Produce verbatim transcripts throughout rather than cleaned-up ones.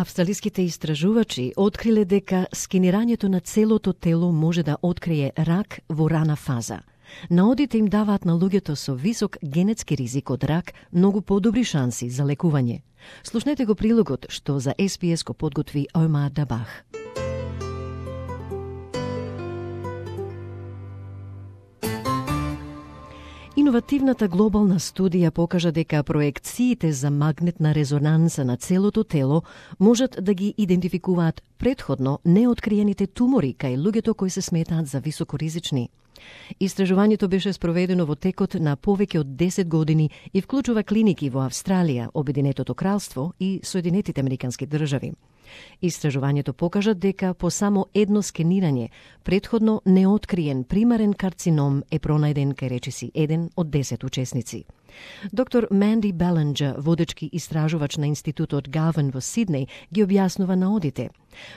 Австралиските истражувачи откриле дека скенирањето на целото тело може да открие рак во рана фаза. Наодите им даваат на луѓето со висок генетски ризик од рак многу подобри шанси за лекување. Слушнете го прилогот што за Ес Би Ес го подготви Омар Дабах. Иновативната глобална студија покажа дека проекциите за магнетна резонанса на целото тело можат да ги идентификуваат претходно неоткриените тумори кај луѓето кои се сметаат за високоризични. Истражувањето беше спроведено во текот на повеќе од десет години и вклучува клиники во Австралија, Обединетото кралство и Соединетите американски држави. Истражувањето покажа дека по само едно скенирање, претходно неоткриен примарен карцином е пронајден кај речиси еден од десет учесници. Доктор Манди Белинджер, водечки истражувач на Институтот Гарвин во Сиднеј, ги објаснува наодите.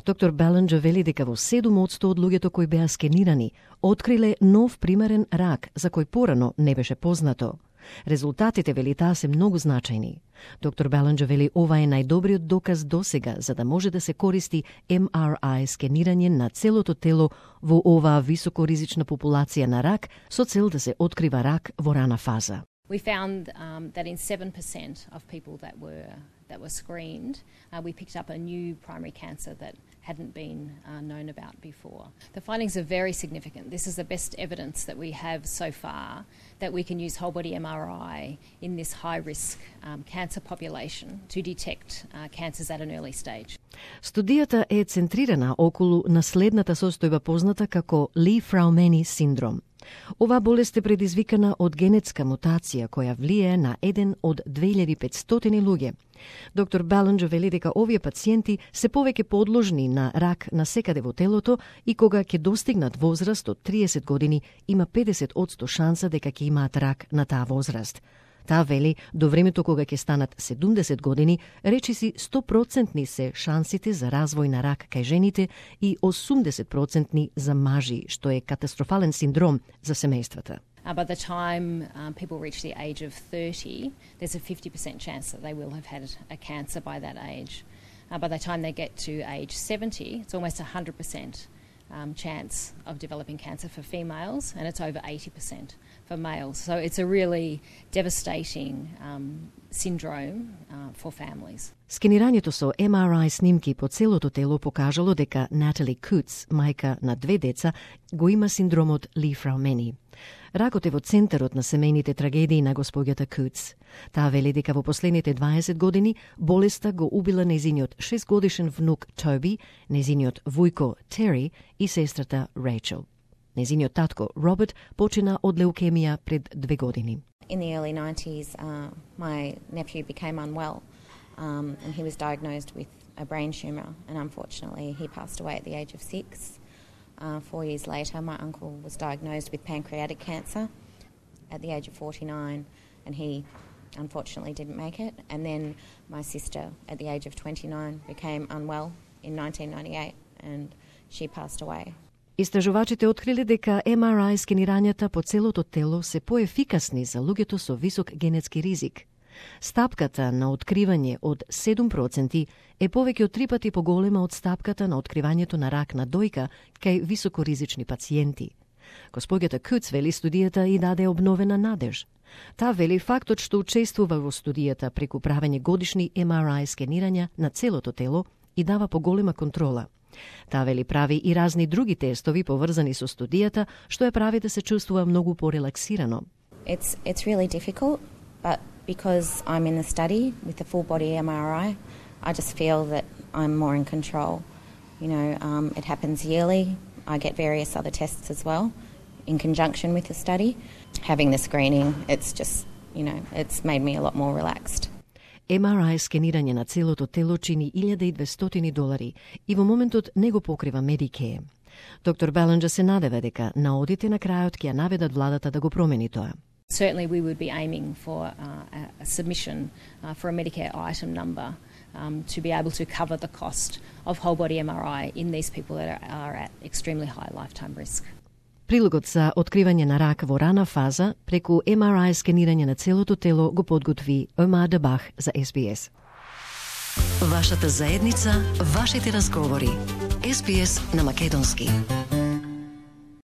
Доктор Белинджер вели дека во седум одсто од луѓето кои беа скенирани откриле нов примарен рак за кој порано не беше познато. Резултатите, вели таа, се многу значајни. Доктор Белинджер вели ова е најдобриот доказ досега за да може да се користи Ем Ар Ај скенирање на целото тело во оваа високоризична популација на рак со цел да се открива рак во рана фаза. We found um, that in seven percent of people that were that were screened, uh, we picked up a new primary cancer that hadn't been uh, known about before. The findings are very significant. This is the best evidence that we have so far that we can use whole body Em Ar Aј in this high-risk um, cancer population to detect uh, cancers at an early stage. Студијата е центрирана околу наследната состојба позната како Ли-Фраумени синдром. Оваа болест е предизвикана од генетска мутација која влијае на еден од две илјади и петстотини луѓе. Доктор Белинджер вели дека овие пациенти се повеќе подложни на рак на секаде во телото и кога ќе достигнат возраст од триесет години има педесет одсто шанса дека ќе имаат рак на таа возраст. Таа вели, до времето кога ќе станат седумдесет години, речиси сто проценти се шансите за развој на рак кај жените и осумдесет проценти за мажи, што е катастрофален синдром за семејствата. Uh, by the time um, people reach the age of thirty, there's a fifty percent chance that they will have had a cancer by that age. Uh, by the time they get to age seventy, it's almost one hundred percent um, chance of developing cancer for females, and it's over eighty percent for males. So it's a really devastating um, syndrome uh, for families. Скенирањето со Ем Ар Ај снимки по целото тело покажало дека Натали Куц, мајка на две деца, го има синдромот Ли-Фраумени. Ракот е во центарот на семејните трагедии на госпоѓата Куц. Таа вели дека во последните дваесет години болеста го убила незиниот шестгодишен внук Тоби, незиниот вујко Тери и сестрата Рейчел. Незиниот татко Роберт почина од леукемија пред две години. In the early nineties, uh, my nephew became unwell um, and he was diagnosed with a brain tumour, and unfortunately he passed away at the age of six. Uh, four years later, my uncle was diagnosed with pancreatic cancer at the age of forty-nine, and he unfortunately didn't make it. And then my sister, at the age of twenty-nine, became unwell in nineteen ninety-eight, and she passed away. Истражувачите откриле дека Ем Ар Ај скенирањата по целото тело се поефикасни за луѓето со висок генетски ризик. Стапката на откривање од седум проценти е повеќе од три пати поголема од стапката на откривањето на рак на дојка кај високоризични пациенти. Госпоѓата Куц вели студијата и даде обновена надеж. Таа вели фактот што учествува во студијата преку правење годишни Ем Ар Ај скенирања на целото тело и дава поголема контрола. Таа вели прави и разни други тестови поврзани со студијата, што ја прави да се чувствува многу порелаксирано. It's it's really difficult, but because I'm in the study with the full body Em Ar Aј, I just feel that I'm more in control. You know, um, it happens yearly. I get various other tests as well in conjunction with the study. Having the screening, it's just, you know, it's made me a lot more relaxed. Ем Ар Ај скенирање на целото тело чини илјада и двестотини долари и во моментот не го покрива Medicare. Доктор Белинджер се надева дека наодите на крајот ќе ја наведат владата да го промени тоа. Certainly we would be aiming for uh, a submission uh, for a Medicare item number um, to be able to cover the cost of whole body Em Ар Aј in these people that are, are at extremely high lifetime risk. Прилогот за откривање на рак во рана фаза преку Ем Ар Ај скенирање на целото тело го подготви Омар Дабах за Ес Би Ес. Вашата заедница, вашите разговори. Ес Би Ес на македонски.